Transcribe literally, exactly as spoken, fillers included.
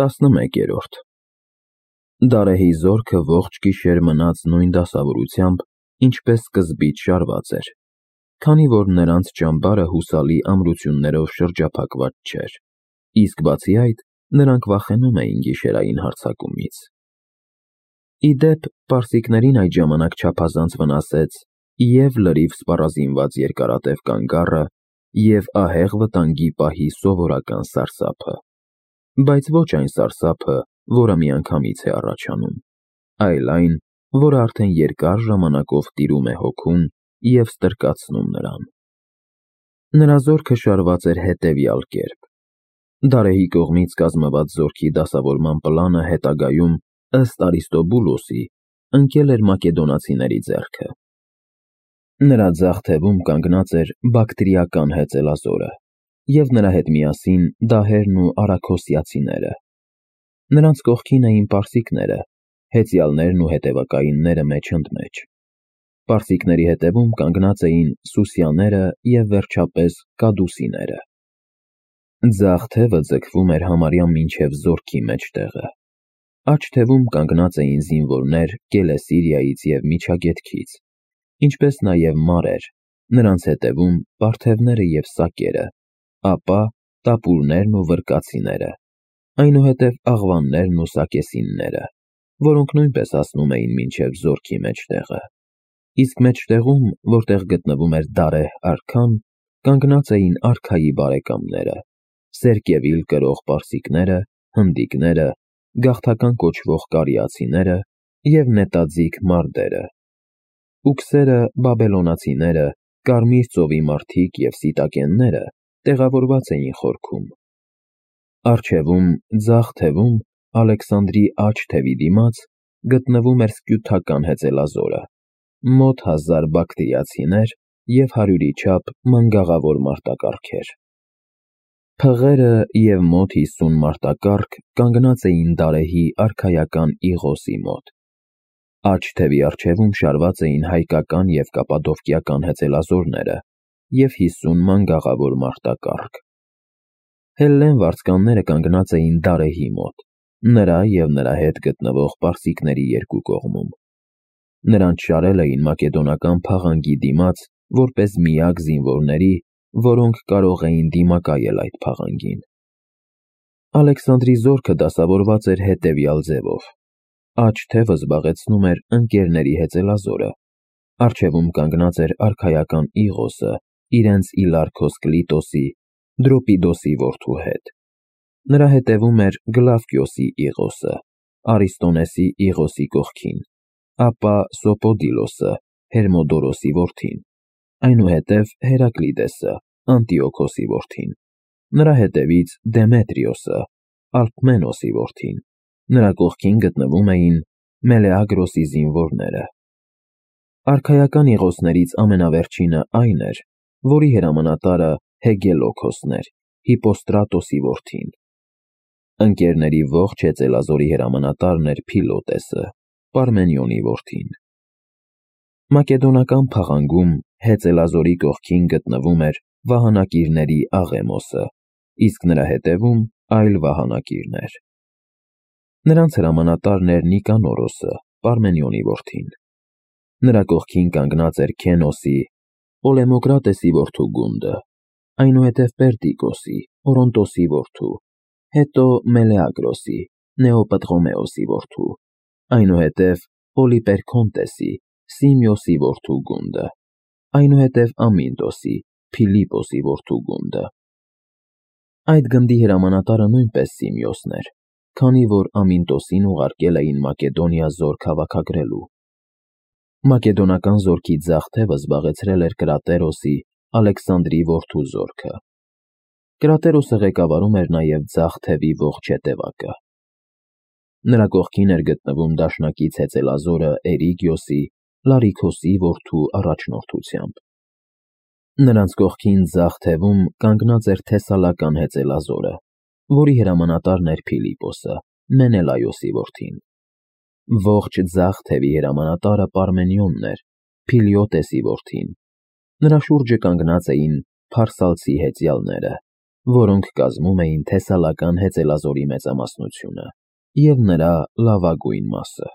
տասնմեկերորդ Դարեհի զորքը ողջ գիշեր մնաց նույն դասավորությամբ, ինչպես սկզբից շարված էր, քանի որ նրանց ճամբարը հուսալի ամրություններով շրջափակված չէր, իսկ բացի այդ, նրանք վախենում էին գիշերային հարձակումից։ Ի դեպ, պարսիկներին այդ ժամանակ չափազանց վնասեց և լրիվ սպառազինված երկարատև կանգառը, և ահեղ վտանգի պահի սովորական սարսափը, բայց ոչ այն սարսափը, որը միանգամից է առաջանում, այլ այն, որը արդեն երկար ժամանակով տիրում է հոգուն և ստրկացնում նրան։ Նրա զորքը շարված էր հետևյալ կերպ. Դարեհի կողմից կազմված զորքի դասավորման պլանը հետագայում, ըստ Արիստոբուլոսի, ընկել էր մակեդոնացիների ձեռքը։ Նրա ձախ թևում կանգնած էր բակտրիական հեծելազորը, և նրա հետ միասին դահերն ու արաքոսիացիները։ Նրանց կողքին էին պարսիկները, հեծյալներն ու հետևակայինները մեջընդմեջ։ Պարսիկների հետևում կանգնած էին սուսյաները և վերջապես կադուսիները։ Ձախ թևը ձգվում էր համարյա մինչև զորքի մեջտեղը։ Աջ թևում կանգնած էին զինվորներ Կելեսիրիայից և Միջագետքից, ինչպես նաև մարեր, նրանց հետևում պարթևները և սակերը, ապա տապուրներն ու վրկացիները, այնուհետև աղվաններն ու սակեսինները, որոնք նույնպես հասնում էին մինչև զորքի մեջտեղը, իսկ մեջտեղում, որտեղ գտնվում էր Դարեհ արքան, կանգնած էին արքայի բարեկամները, սերկևիլ կրող պարսիկները, հնդիկները, գաղթական կոչվող կարիացիները և նետաձիգ մարդերը։ Ուքսերը, բաբելոնացիները, Կարմիր ծովի մարդիկ և սիտակենները տեղավորված էին խորքում։ Առջևում, ձախ թևում, Ալեքսանդրի աջ թևի դիմաց, գտնվում էր սկյութական հեծելազորը, մոտ հազար բակտրիացիներ և հարյուրի չափ մանգաղավոր մարտակառքեր։ Փղերը և մոտ հիսուն մարտակառք կանգնած էին Դարեհի արքայական Իղոսի մոտ։ Աջ թևի առջևում շարված էին հայկական և կապադովկիական հեծելազորները և հիսուն մանգաղավոր մարտակառք։ Հելլեն վարձկանները կանգնած էին Դարեհի մոտ, նրա և նրա հետ գտնվող պարսիկների երկու կողմում։ Նրանց շարել էին մակեդոնական փաղանգի դիմաց որպես միակ զինվորների, որոնք կարող էին դիմակայել այդ փաղանգին։ Ալեքսանդրի զորքը դասավորված էր հետևյալ ձևով. Աջ թևը զբաղեցնում էր ընկերների հեծելազորը, առջևում կանգնած էր արքայական Իղոսը իրենց Իլարքոս Կլիտոսի, Դրոպիդոսի որդու հետ։ Նրա հետևում էր Գլավկիոսի Իղոսը, Արիստոնեսի Իղոսի կողքին, ապա Սոպոդիլոսը, Հերմոդորոսի որդին, այնուհետև Հերակլիդեսը, Անտիոքոսի որդին, նրա հետևից Դեմետրիոսը, Ալկմենոսի որդին, նրա կողքին գտնվում էին Մելեագրոսի զինվորները։ Արքայական Իղոսներից ամենավերջինը այն էր, որի հրամանատարը Հեգելոքոսն էր, Հիպոստրատոսի որդին։ Ընկերների ողջ հեծելազորի հրամանատարն էր Փիլոտեսը, Պարմենիոնի որդին։ Մակեդոնական փաղանգում հեծելազորի կողքին գտնվում էր վահանակիրների Աղեմոսը, իսկ նրա հետևում այլ վահանակիրներ։ Նրանց հրամանատարն էր Նիկանորոսը, Պարմենիոնի որդին։ Նրա կողքին կանգնած էր Քենոսի, Պոլեմոկրատեսի որդու Գունդը, այնուհետև Պերդիկոսի, Օրոնտոսի որդու, հետո Մելեագրոսի, Նեոպտրոմեոսի որդու, այնուհետև Պոլիպերքոնտեսի, Սիմիոսի որդու Գունդը, այնուհետև Ամինտոսի, Փիլիպոսի որդու Գունդը։ Այդ գնդի հրամանատարը նույնպես Սիմիոսն էր, քանի որ Ամինտոսին ուղարկել էին Մակեդոնիա զորք հավաքագրելու։ Մակեդոնական զորքի ձախ թևը զբաղեցրել էր Կրատերոսի, Ալեքսանդրի որդու զորքը։ Կրատերոսը ղեկավարում էր նաև ձախ թևի ողջ հետևակը։ Նրա կողքին էր գտնվում դաշնակից հեծելազորը Էրիգիոսի, Լարիքոսի որդու առաջնորդությամբ։ Նրանց կողքին ձախ թևում կանգնած էր Թեսալական հեծելազորը, որի հրամանատարն էր Փիլիպոսը, Մենելայոսի որդին։ Ողջ ձախ թևի հրամանատարը Պարմենիոնն էր, Փիլիոտեսի որդին։ Նրա շուրջը կանգնած էին փարսալցի հեծյալները, որոնք կազմում էին թեսալական հեծելազորի մեծամասնությունը և նրա լավագույն մասը։